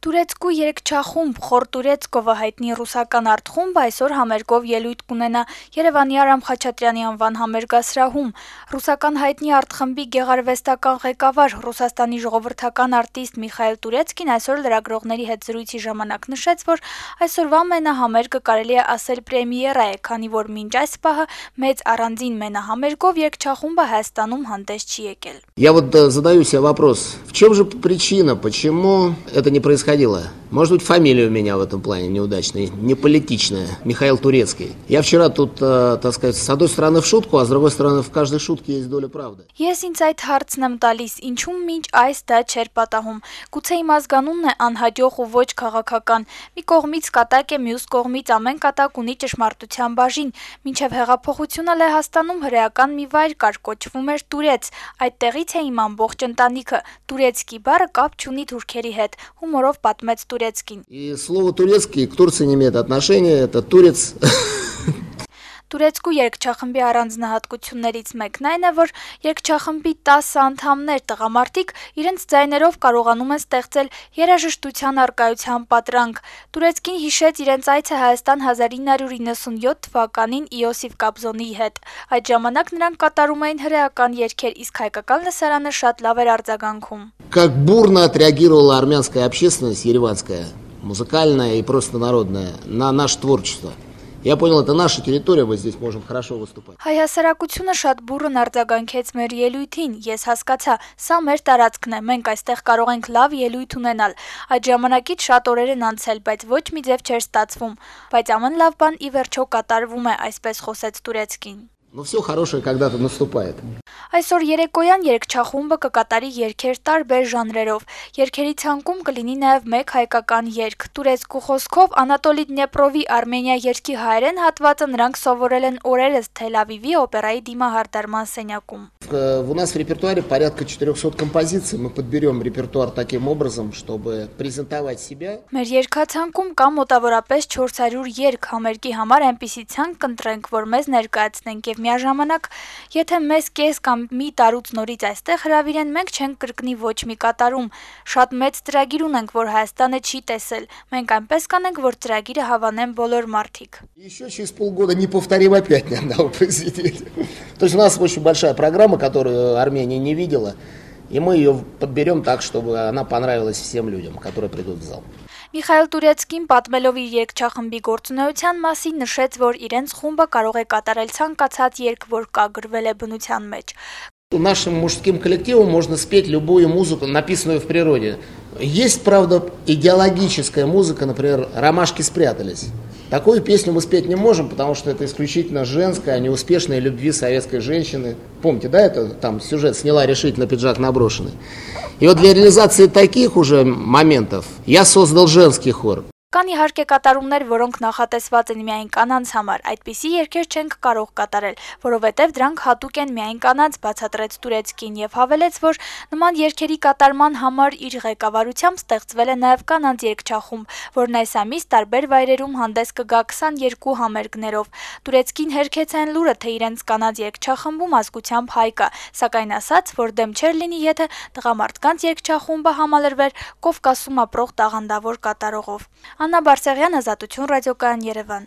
Турецկու երգչախումբ «Խոր Турецկովը» հայտնի ռուսական արտխումբը այսօր համերգով ելույթ կունենա Երևանի Արամ Խաչատրյանի անվան համերգասրահում։ Ռուսական հայտնի արտխմբի գեղարվեստական ղեկավար, Ռուսաստանի ժողովրդական արտիստ Միխայել Տուրեցկին այսօր լրագրողների հետ զրույցի ժամանակ նշեց, որ այսօրվա մենահամերգը կարելի է ասել պրեմիերա է, քանի որ մինչ այս պահը մեծ առանձին մենահամերգով երգչախումբը Հայաստանում հանդես չի եկել։ Я вот задаю себе вопрос, в чем же причина, почему это не происходило? Может быть, фамилия у меня в этом плане неудачная, не политичная, Михаил Турецкий. Я вчера тут, так сказать, с одной стороны в шутку, а с другой стороны в каждой шутке есть доля правды. Ես ինձ այդ հարցն եմ տալիս, ինչու մինչ այս դա չէր պատահում։ Գուցե իմ ազգանունն է անհաջող ու ոչ քաղաքական։ Մի կողմից կատակ է, մյուս կողմից ամեն կատակ ունի ճշմարտության բաժին։ Մինչև հեղափոխությունը Լեհաստանում հրեական մի վայր կար, կոչվում էր Турец։ Այդտեղից է իմ ամբողջ ընտանիքը։ Турецկий բառը կապ չունի թուրքերի հետ, հումորով պատմեց Турецкин։ И слово турецкий к Турции не имеет отношения, это турец. Турецկու երգչախմբի առանձնահատկություններից մեկն այն է, որ երգչախմբի 10 անդամներ տղամարդիկ իրենց ձայներով կարողանում են ստեղծել երաժշտության առկայության պատրանք։ Турецկին հիշեց իրենց այցը Հայաստան 1997 թվականին Իոսիֆ Կաբզոնի հետ։ Այդ ժամանակ նրանք կատարում էին հրեական երգեր, իսկ հայկական լսարանը շատ լավ էր արձագանքում։ Как бурно отреагировала армянская общественность, ереванская, музыкальная и просто народная, на наше творчество. Я понял, это наша территория, мы здесь можем хорошо выступать. Հայհասարակությունը շատ բուռն արձագանքեց մեր ելույթին, ես հասկացա, սա մեր տարածքն է, մենք այստեղ կարող ենք լավ ելույթ ունենալ։ Այդ ժամանակից շատ օրեր են անցել, բայց ոչ մի ձև չէր ստացվում, բայց ամեն լավ բան ի վերջո կատարվում է, այսպես խոսեց Турецкин։ Но все хорошее когда-то наступает. Այսօր երեկոյան երգչախումբը կկատարի երգեր տարբեր ժանրերով։ Երգերի ցանկում կլինի նաև մեկ հայկական երգ։ Турецկու խոսքով Անատոլի Դնեպրովի Արմենիա երգի հայերեն հատվածը նրանք սովորել են օրերս Թել Ավիվի օպերայի դիմահարդարման սենյակում։ У нас в репертуаре порядка 400 композиций. Мы подберем репертуар таким образом, чтобы презентовать себя. Մեր երգացանկում կա մոտավորապես 400 երգ, համերգի համար այնպիսի ցանկ կընտրենք, որ մեզ ներկայացնենք եւ միաժամանակ, եթե մեզ կես կամ մի տարուց նորից այստեղ հրավիրեն, մենք չենք կրկնի ոչ մի կատարում։ Շատ մեծ ծրագիր ունենք, որ Հայաստանը չի տեսել։ Մենք այնպես կանենք, որ ծրագիրը հավանեն բոլոր մարդիկ։ Еще через полгода не повторим опять ни одного произведения. То есть у нас очень большая программа, которую Армения не видела, и мы ее подберем так, чтобы она понравилась всем людям, которые придут в зал. Միխայել Տուրեցկին պատմելով իր երգչախմբի գործունեության մասին նշեց, որ իրենց խումբը կարող է կատարել ցանկացած երգ, որ կա գրվել է բնության մեջ։ Нашим мужским коллективом можно спеть любую музыку, написанную в природе. Есть, правда, идеологическая музыка, например, «Ромашки спрятались». Такую песню мы спеть не можем, потому что это исключительно женская, о неуспешной любви советской женщины. Помните, да, это там сюжет «Сняла решительно пиджак наброшенный». И вот для реализации таких уже моментов я создал женский хор. Կան իհարկե կատարումներ, որոնք նախատեսված են միայն կանանց համար, այդպիսի երգեր չենք կարող կատարել, որովհետև դրանք հատուկ են միայն կանանց, բացատրեց Турецкին եւ հավելեց, որ նման երգերի կատարման համար իր ղեկավարությամբ ստեղծվել է նաեւ կանանց երգչախումբ, որն այս ամիս տարբեր վայրերում հանդես կգա 22 համերգներով։ Турецкին հերքեց այն լուրը, թե իրենց կանանց երգչախմբում ազգությամբ հայ կա, սակայն ասաց, որ դեմ չէր լինի, եթե տղամարդկանց երգչախումբը համալրվեր Կովկասում ապրող տաղանդավոր կատարողով։ Աննա Բարսեղյան, Ազատություն ռադիոկայան, Երևան։